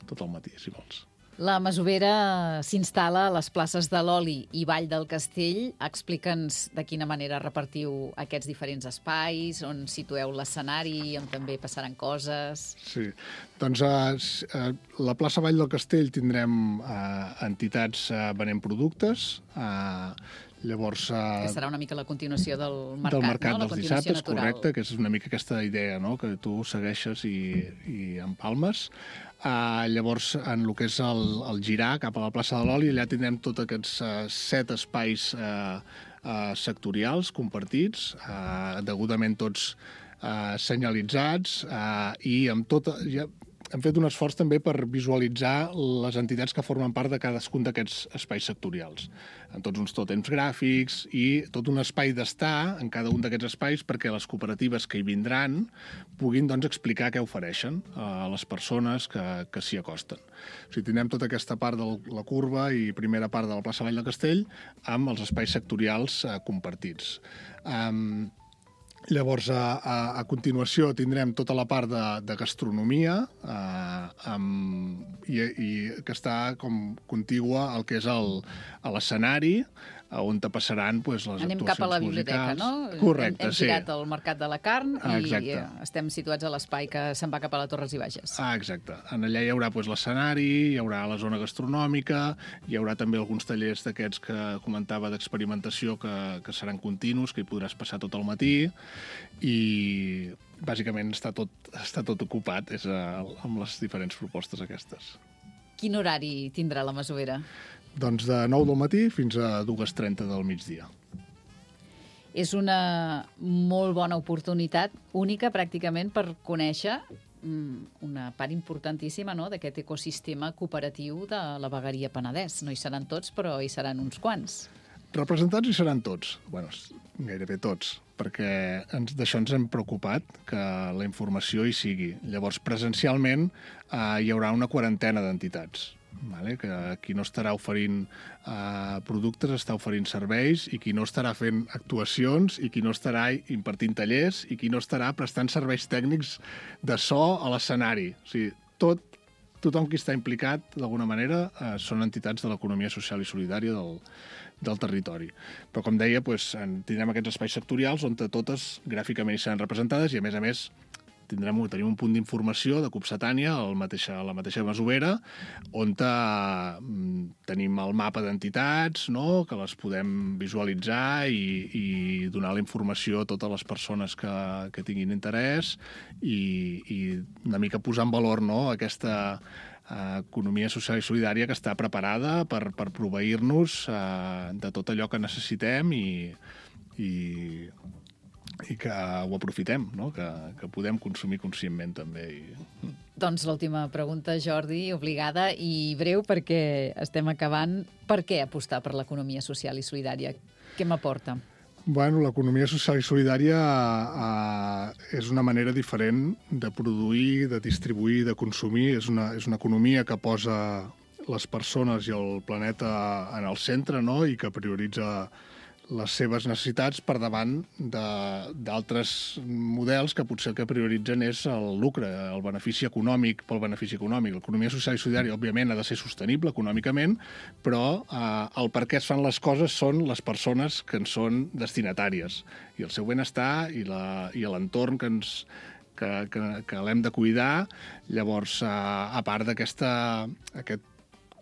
tot el matí, si vols. La Masovera s'instal·la a les places de l'Oli i Vall del Castell. Explica'ns de quina manera repartiu aquests diferents espais, on situeu l'escenari, on també passaran coses... Sí, doncs a la plaça Vall del Castell tindrem entitats venent productes, llavors... Que serà una mica la continuació del mercat, del mercat, no? dels dissabtes, correcte, que és una mica aquesta idea, no? Que tu segueixes i empalmes. Llavors, en el que és el girar cap a la plaça de l'Oli, allà tindrem tots aquests 7 espais sectorials compartits, degudament tots senyalitzats, i amb tot... Hem fet un esforç també per visualitzar les entitats que formen part de cadascun d'aquests espais sectorials, amb tots uns tòtems gràfics i tot un espai d'estar en cada un d'aquests espais perquè les cooperatives que hi vindran puguin doncs, explicar què ofereixen a les persones que s'hi acosten. O sigui, tindrem tota aquesta part de la curva i primera part de la plaça Vall del Castell amb els espais sectorials compartits. Llavors, a continuació, tindrem tota la part de gastronomia i que està com contigua al que és l'escenari, on te passaran les actuacions musicals. Anem cap a la biblioteca, no? Correcte, sí. Hem girat el Mercat de la Carn i estem situats a l'espai que se'n va cap a la Torres i Bages. Exacte. Allà hi haurà l'escenari, hi haurà la zona gastronòmica, hi haurà també alguns tallers d'aquests que comentava d'experimentació que seran continus, que hi podràs passar tot el matí i bàsicament està tot ocupat amb les diferents propostes aquestes. Quin horari tindrà la Masovera? Doncs de 9 del matí fins a 2:30 del migdia. És una molt bona oportunitat, única pràcticament, per conèixer una part importantíssima, no?, d'aquest ecosistema cooperatiu de la vegueria Penedès. No hi seran tots, però hi seran uns quants. Representats hi seran tots, bueno, gairebé tots, perquè d'això ens hem preocupat, que la informació hi sigui. Llavors, presencialment, hi haurà una quarantena d'entitats, vale? Que qui no estarà oferint productes està oferint serveis, i qui no estarà fent actuacions, i qui no estarà impartint tallers, i qui no estarà prestant serveis tècnics de so a l'escenari. O sigui, tothom qui està implicat, d'alguna manera, són entitats de l'economia social i solidària del territori. Però, com deia, tindrem aquests espais sectorials on totes gràficament hi seran representades i, a més, tenim un punt d'informació de Copsatània a la mateixa masovera, on tenim el mapa d'entitats, no?, que les podem visualitzar i donar la informació a totes les persones que tinguin interès i una mica posar en valor, no?, aquesta economia social i solidària que està preparada per proveir-nos de tot allò que necessitem i que ho aprofitem, no? Que podem consumir conscientment també. Doncs l'última pregunta, Jordi, obligada i breu, perquè estem acabant. Per què apostar per l'economia social i solidària? Què m'aporta? Bueno, l'economia social i solidària és una manera diferent de produir, de distribuir, de consumir. És una economia que posa les persones i el planeta en el centre, no?, i que prioritza les seves necessitats per davant d'altres models que potser el que prioritzen és el lucre, el benefici econòmic pel benefici econòmic. L'economia social i solidària, òbviament, ha de ser sostenible econòmicament, però el per què es fan les coses són les persones que en són destinatàries. I el seu benestar i l'entorn que l'hem de cuidar. Llavors, a part d'aquest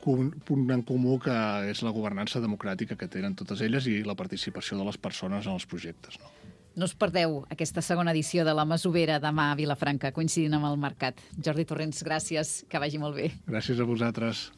punt en comú que és la governança democràtica que tenen totes elles i la participació de les persones en els projectes. No us perdeu aquesta segona edició de la Masovera demà a Vilafranca, coincidint amb el mercat. Jordi Torrents, gràcies, que vagi molt bé. Gràcies a vosaltres.